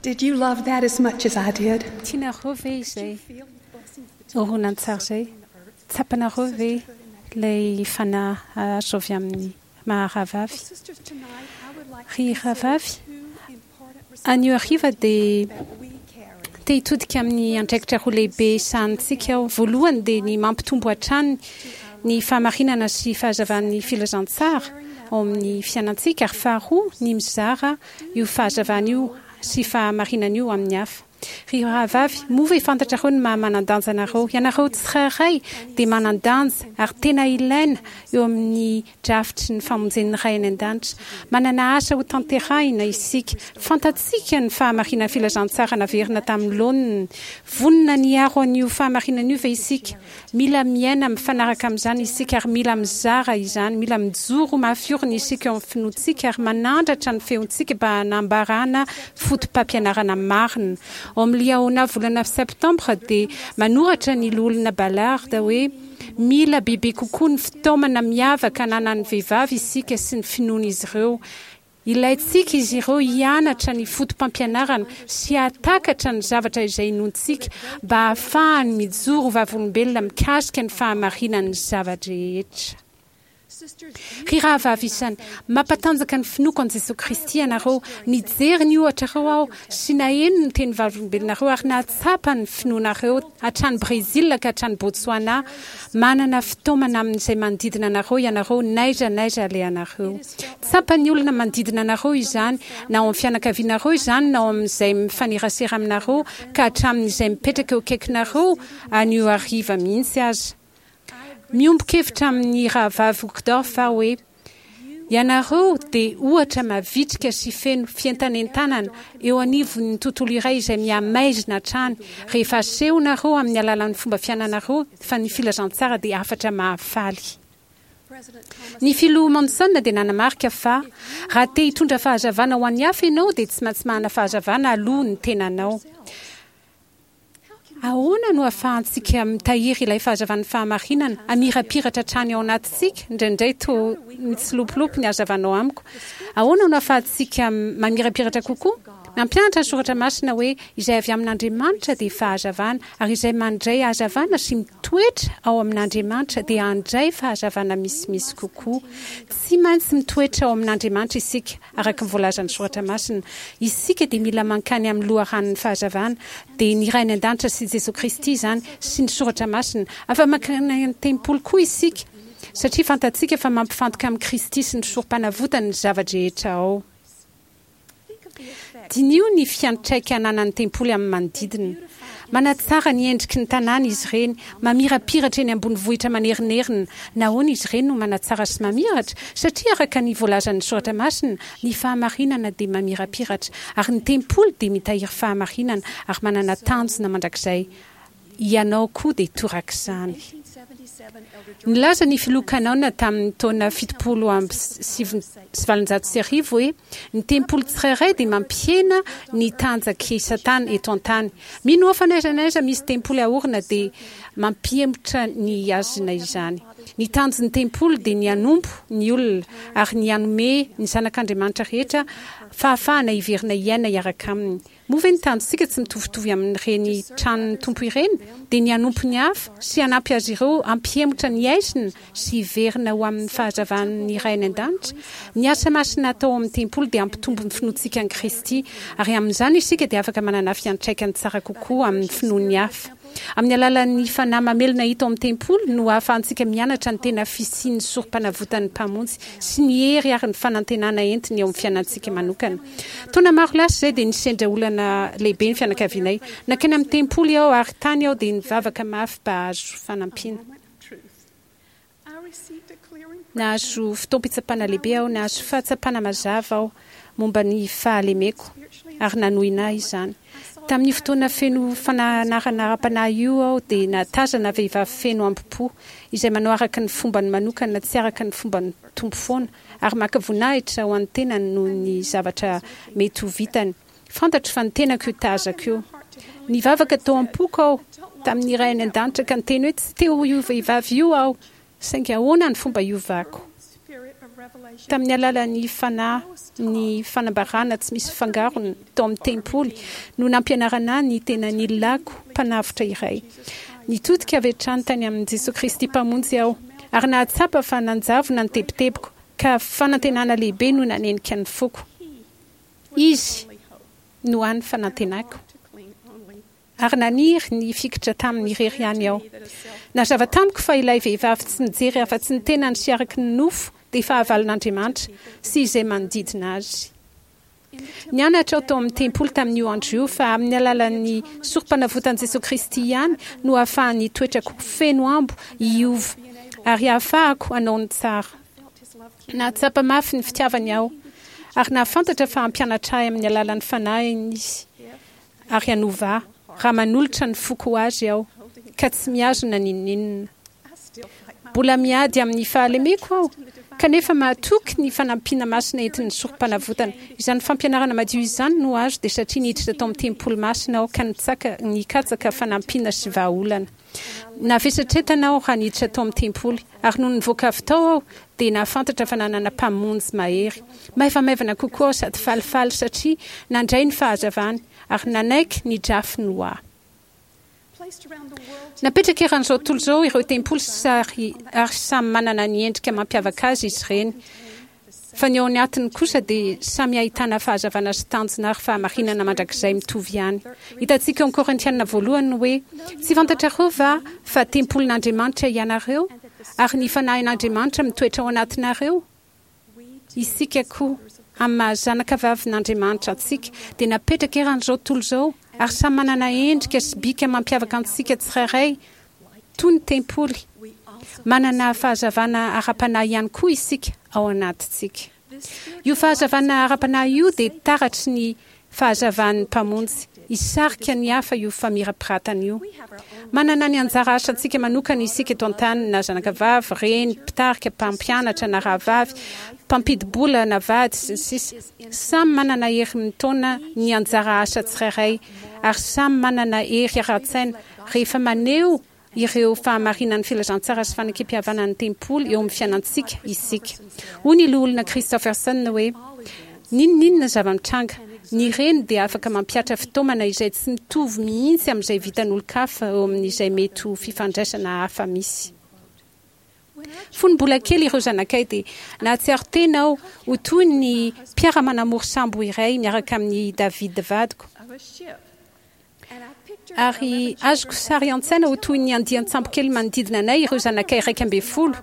Did you love that as much as I did? Tianareo ve izay horonantsary izay? Tsapanareo ve ilay fanahy azo avy amin'ny maha rahavavy? Ry rahavavy, anio hariva dia te hitodika amin'ny andraikitra roa lehibe sahanintsika aho. Voalohany dia ny mampitombo hatrany ny fahamarinana sy fahazavan'ny filazantsara ao amin'ny fiainantsika ary faharoa ny mizara io fahazavana io sy fahamarinana io amin'ny hafa. Ry rahavavy, moa ve fantatrareo ny maha manan-danja anareo? Ianareo tsirairay dia manan-danja ary tena ilaina eo amin'ny drafitry ny famonjen'ny Ray any An-danitra. Manana asa ho tanterahina isika. Fantatsika ny fahamarinan'ny filazantsara naverina tamin'ny laoniny. Vonona ny hiaro an'io fahamarinana io ve isika? Mila miaina mifanaraka amin'izany isika ary mila mizara izany. Mila mijoro mafy orina isika eo amin'ny finoantsika ary manandratra ny feontsika mba hanambarana fotopampianarana marina. Ao amin'ny Liahona volana septambra dia manoratra ny Loholona Ballard hoe, Mila bebe kokoa ny fitaomana miavaka ananan'ny vehivavy isika sy ny finoan'izy ireo. Ilaintsika izy ireo hianatra ny fotopampianarana sy hahatakatra ny zavatra izay inoantsika mba hahafahany mijoro ho vavolombelona mikasika ny fahamarinan'ny zava-drehetra. Ry rahavavy isany, mampatanjaka ny finoako an'i Jesoa Kristy ianareo. Nijery ny ohatrareo aho sy naheno ny teny vavolombelonareo ary nahatsapa ny finoanareo hatrany Brezila ka hatrany Botswana. Manana fitaomana amin'izay manodidina anareo ianareo n'aiza n'aiza alehanareo. Tsapan'ny olona manodidina anareo izany, na ao amin'ny fianakavianareo izany na ao amin'izay mifanerasera aminareo ka hatramin'izay mipetraka eo akaikinareo anio hariva mihitsy aza. Miombon-kevitra amin'ny Rahavavy Uchtdorf aho hoe, Ianareo dia ohatra mavitrika sy feno fientanentanana eo anivon'ny tontolo iray izay mihamaizina hatrany rehefa asehonareo amin'ny alalan'ny fomba fiainanareo fa ny filazantsara dia hafatra mahafaly. Ny Filoha Monson dia nanamarika fa, Raha te hitondra fahazavana ho an'ny hafa ianao dia tsy maintsy manana fahazavana aloha ny tenanao. Ahoana no ahafahantsika mitahiry ilay fahazavan'ny fahamarinana hamirapiratra hatrany ao anatintsika? Indraindray toa mitsilopilopy ny hazavanao amiko. Ahoana no ahafahantsika mamirapiratra kokoa? Mampianatra ny Soratra Masina hoe izay avy amin'Andriamanitra dia fahazavana, ary izay mandray hazavana sy mitoetra ao amin'Andriamanitra dia handray fahazavana misimisy kokoa. Tsy maintsy mitoetra ao amin'Andriamanitra isika, araka ny voalazan'ny Soratra Masina. Isika dia mila mankany amin'ny loharanon'ny fahazavana, dia ny Ray any An-danitra sy Jesoa Kristy izany, sy ny Soratra Masina. Afa-mankany amin'ny tempoly koa isika, satria fantatsika fa mampifantoka amin'i Kristy sy ny Sorompanavotany ny zava-drehetra ao. Diniho ny fiantraika ananan'ny tempoly amin'ny manodidina. Manatsara ny endriky ny tanàna izy ireny, mamirapiratra eny ambony vohitra manerinerina. Nahoana izy ireny no manatsara sy mamiratra? Satria araka ny voalazan'ny Soratra Masina, ny fahamarinana dia mamirapiratra, ary ny tempoly dia mitahiry fahamarinana ary manana tanjona mandrakizay. Ianao koa dia torak'izany. Nilaza ny Filoha Cannon tamin'ny taona 1870 hoe, Ny tempoly tsirairay dia mampihena ny tanjak'i Satana eto an-tany. Mino aho fa n'aiza n'aiza misy tempoly aorina dia mampihemotra ny hazina izany. Ny tanjon'ny tempoly dia ny hanompo ny olona ary ny hanome ny zanak'Andriamanitra rehetra fahafahana hiverina hiaina hiaraka aminy. Moa ve ny tanjontsika tsy mitovitovy amin'ireny tranon'ny Tompo ireny, dia ny hanompo ny hafa sy hanampy azy ireo hampihemotra ny haizina sy hiverina ho amin'ny fahazavan'ny Ray any An-danitra? Ny asa masina atao ao amin'ny tempoly dia hampitombo ny finoantsika an'i Kristy, ary amin'izany isika dia afaka manana fiantraikany tsara kokoa amin'ny finoan'ny hafa. Amin'ny alalan'ny Fanahy mamelona hita ao amin'ny tempoly no ahafahantsika mianatra ny tena fisian'ny Sorompanavotan'ny Mpamonjy sy ny hery ary ny fanantenana entiny eo amin'ny fiainantsika manokana. Taona maro lasa izay dia nisendra olana lehibe ny fianakavianay. Nankany amin'ny tempoly aho ary tany aho dia nivavaka mafy mba hahazo fanampiana. Nahazo fotoam-pitsapana lehibe aho, nahazo fahatsapana mazava aho momba ny fahalemeko, ary nanohina ahy izany. Tamin'io fotoana feno fananarana ara-panahy io aho dia nahatazana vehivavy feno hambom-po, izay manao araka ny fombany manokana tsy araka ny fomban'ny Tompo foana, ary maka voninahitra ho an'ny tenany noho ny zavatra mety ho vitany. Fantatro fa ny tenako io tazako io. Nivavaka tao am-poko aho tamin'ny Ray any An-danitra ka niteny hoe tsy te ho io vehivavy io aho, saingy ahoana ny fomba hiovako? Tamin'ny alalan'ny Fanahy ny fanambarana tsy misy fangarony tao amin'ny tempoly no nampianarana ahy ny tena nilako Mpanavotra iray. Nitodika avy hatrany tany amin'i Jesoa Kristy Mpamonjy aho ary nahatsapa fa nanjavona ny tebitebiko ka fanantenana lehibe no nanenika ny foko. Izy no hany fanantenako. Ary naniry ny hifikitra taminy irery ihany aho. Nazava tamiko fa ilay vehivavy tsy mijery afa-tsy ny tenany sy araka ny nofo dia fahavalon'Andriamanitra sy izay manodidina azy. Nianatra aho tao amin'ny tempoly tamin'io andro io fa amin'ny alalan'ny Sorompanavotan'i Jesoa Kristy ihany no ahafahan'ny toetrako feno ambo hiova ary hahafahako hanao ny tsara. Nahatsapa mafy ny fitiavany aho ary nahafantatra fa hampianatra ahy amin'ny alalan'ny Fanahiny Izy. ary hanova ahy raha manolotra ny foko ho Azy aho ka tsy mihazona n'inon'inona. Mbola miady amin'ny fahalemeko aho, kanefa mahatoky ny fanampiana masina entin'ny Sorompanavotana. Izany fampianarana madio izany no azo dia satria niditra tao amin'ny tempoly masina aho ka nikatsaka fanampiana sy vahaolana. Navesatretana aho raha niditra tao amin'ny tempoly, ary nony nivoaka avy tao aho dia nahafantatra fa nanana Mpamonjy mahery. Maivamaivana kokoa aho sady falifaly satria nandray ny fahazavany ary nanaiky ny drafiny ho ahy. Napetraka eran'izao tontolo izao ireo tempoly ary samy manana ny endrika mampiavaka azy izy ireny. Fa ny ao anatiny kosa dia samy ahitana fahazavana sy tanjona ary fahamarinana mandrakizay mitovy ihany. Hitantsika ao amin'ny Korintiana voalohany ny hoe, Tsy fantatrareo va fa tempolin'Andriamanitra ianareo, ary ny Fanahin'Andriamanitra mitoetra ao anatinareo? Isika koa, amin'ny maha-zanaka vavin'Andriamanitra antsika, dia napetraka eran'izao tontolo izao, ary samy manana endrika sy bika mampiavaka antsika tsirairay Toy ny tempoly, manana fahazavana ara-panahy ihany koa isika ao anatintsika. Io fahazavana ara-panahy io dia taratry ny fahazavan'ny Mpamonjy. Hisarika ny hafa io famirapiratana io. Manana ny anjara asantsika manokana isika eto an-tany, na zanakavavy, reny, mpitarika, mpampianatra, na rahavavy, mpampidi-bola, na vady, sy ny sisa Samy manana hery mitaona ny anjara asa tsirairay, ary samy manana hery ara-tsaina Rehefa maneho ireo fahamarinan'ny filazantsara sy fanekempihavanan'ny tempoly eo amin'ny fiainantsika isika. Hoy ny Loholona Christofferson hoe, N'inon'inona zava-mitranga, ny reny dia afaka mampihatra fitaomana izay tsy mitovy mihitsy amin'izay vitan'olon-kafa eo amin'izay mety ho fifandraisana hafa misy. Fony mbola kely ireo zanakay dia nahatsiaro tena aho ho toy ny mpiara-manamory sambo iray miaraka amin'i David vadiko. Ary azoko sary an-tsaina ho toy ny andian-tsambokely manodidina anay ireo zanakay 11,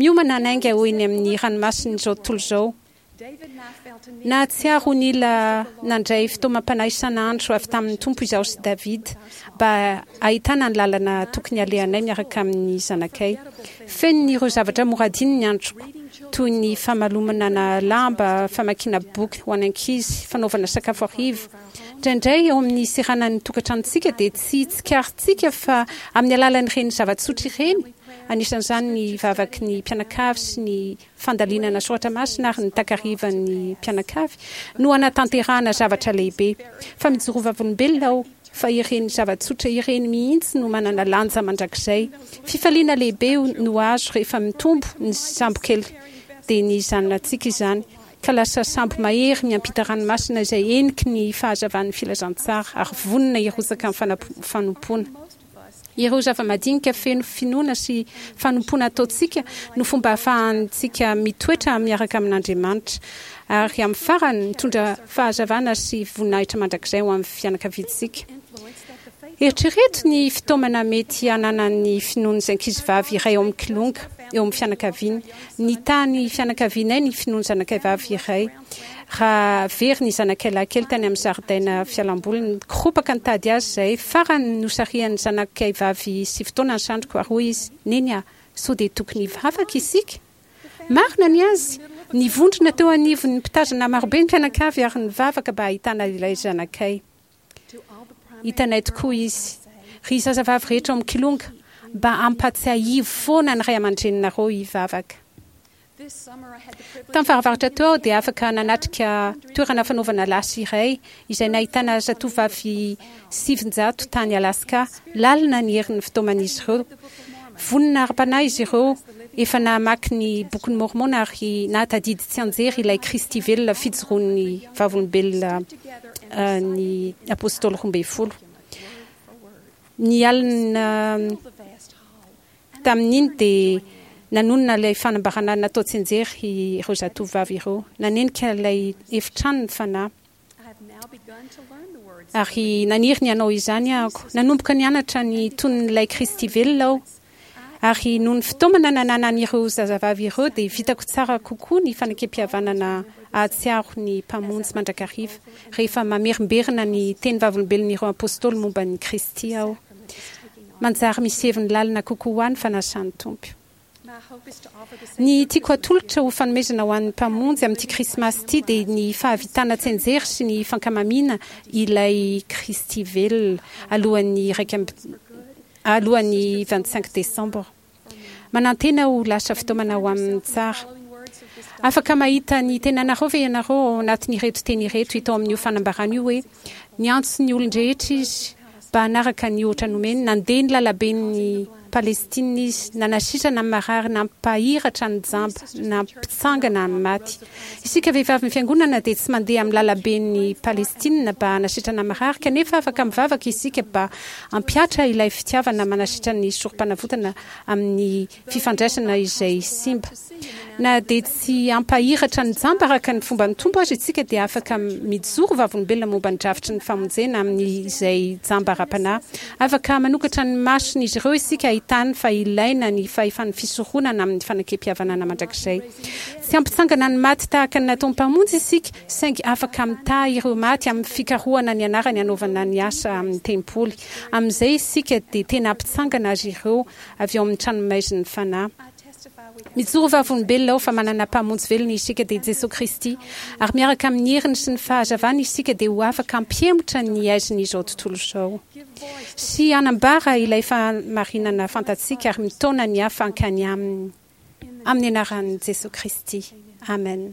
miomana hanainga ho eny amin'ny ranomasin'izao tontolo izao. Nahatsiaro ho nila nandray fitaomam-panahy isan'andro avy tamin'ny Tompo izaho sy David mba hahitana ny lalana tokony halehanay miaraka amin'ny zanakay. Fenon'ireo zavatra mora adino ny androko, toy ny famalomana lamba, famakiana boky ho an'ny ankizy, fanaovana sakafo hariva, Indraindray ao amin'ny seranan'ny tokantranontsika dia tsy tsikaritsika fa amin'ny alalan'ireny zava-tsotra ireny, anisan'izany ny vavaky ny mpianakavy sy ny fandalinana soratra masina ary ny takarivan'ny mpianakavy, no anatanterahana zavatra lehibe. Fa mijoro vavolombelona aho fa ireny zava-tsotra ireny mihitsy no manana lanja mandrakizay. Fifaliana lehibe no azo rehefa mitombo ny sambokely dia ny zanatsika izany. ka lasa sambo mahery miampita ranomasina izay heniky ny fahazavan'ny filazantsara ary vonona hirotsaka amin'ny fanompoana. Ireo zava-madinika feno finoana sy fanompoana ataontsika no fomba ahafahantsika mitoetra miaraka amin'Andriamanitra ary amin'ny farany mitondra fahazavana sy voninahitra mandrakizay ho an'ny fianakaviantsika. Eritrereto ny fitaomana mety hananan'ny finoan'ny ankizivavy iray ao amin'ny kilonga eo amin'ny fianakaviany. Nitaha ny fianakavianay ny finoan'ny zanakay vavy iray. Raha very ny zanakay lahy kely tany amin'ny zaridaina fialamboliny, nikoropaka nitady azy izahay. Farany nosarihan'ny zanakay vavy sivy taona ny sandriko ary hoy izy, Neny a, sao dia tokony hivavaka isika? Marina ny azy! Nivondrona teo anivon'ny mpitazana marobe ny mpianakavy ary nivavaka mba hahitana ilay zanakay. Hitanay tokoa izy. Ry zazavavy rehetra ao amin'ny Kilonga, mba ampatsiahivo foana ny ray aman-dreninareo hivavaka. Tamin'ny fahavaratra teo aho dia afaka nanatrika toerana fanaovana lasy iray izay nahitana zatovovavy 900 tany Alaska. Lalina ny herin'ny fitaoman'izy ireo. Vonona ara-panahy izy ireo. Efa namaky ny Bokin'i Môrmôna ary nahatadidy tsianjery ilay Kristy velona fijoroan'ny vavolombelona ny Apôstôly 12. Ny alina tamin'iny dia nanonona ilay fanambarana natao tsianjery ireo zatovovavy ireo. Nanenika ilay efitrano ny Fanahy. Ary naniry ny hanao izany ahako. Nanomboka nianatra ny tonon'ilay Kristy velona aho. Ary noho ny fitaomana nananan'ireo zazavavy ireo dia vitako tsara kokoa ny fanekempihavanana hahatsiaro ny Mpamonjy mandrakariva rehefa mamerimberina ny teny vavolombelon'ireo Apôstôly momba an'i Kristy aho. Manjary misy heviny lalina kokoa ho ahy ny fanasan'ny Tompo. Ny tiako hatolotra ho fanomezana ho an'ny Mpamonjy amin'ity Krismasy ity dia ny fahavitana tsianjery sy ny fankamamiana ilay Kristy velona alohan'ny iraika amby alohan'ny 25 décembre. Manantena ho lasa fitaomana ho amin'ny tsara. Afaka mahita ny tenanareo ve ianareo ao anatin'ireto teny ireto hita ao amin'io fanambarana io hoe, Niantso ny olon-drehetra izy mba hanaraka ny ohatra nomeny, nandeha ny lalaben'ny Palestina izy, nanasitrana ny marary, nampahiratra ny jamba, nampitsangana ny maty. Isika vehivavin'ny Fiangonana dia tsy mandeha amin'ny lalaben'i Palestina mba hanasitrana ny marary, kanefa afaka mivavaka isika mba hampihatra ilay fitiavana manasitrana ny Sorompanavotana amin'ny fifandraisana izay simba. Na dia tsy hampahiratra ny jamba araka ny fomban'ny Tompo aza isika dia afaka mijoro vavolombelona momba ny drafitry ny famonjena amin'izay jamba ara-panahy. Afaka manokatra ny mason'izy ireo isika hahitany fa ilaina ny fahefan'ny fisoronana amin'ny fanekempihavanana mandrakizay. Tsy hampitsangana ny maty tahaka ny nataon'ny Mpamonjy isika, saingy afaka mitaha ireo maty amin'ny fikarohana ny anarany hanaovana ny asa amin'ny tempoly. Amin'izay isika dia tena hampitsangana azy ireo avy ao amin'ny tranomaizin'ny fanahy. Mijoro vavolombelona aho fa manana Mpamonjy velona isika, dia Jesoa Kristy, ary miaraka amin'ny heriny sy ny fahazavany isika dia ho afaka hampihemotra ny haizin'izao tontolo izao sy hanambara ilay fahamarinana fantatsika ary mitaona ny hafa hankany Aminy. Amin'ny anaran'i Jesoa Kristy, amen.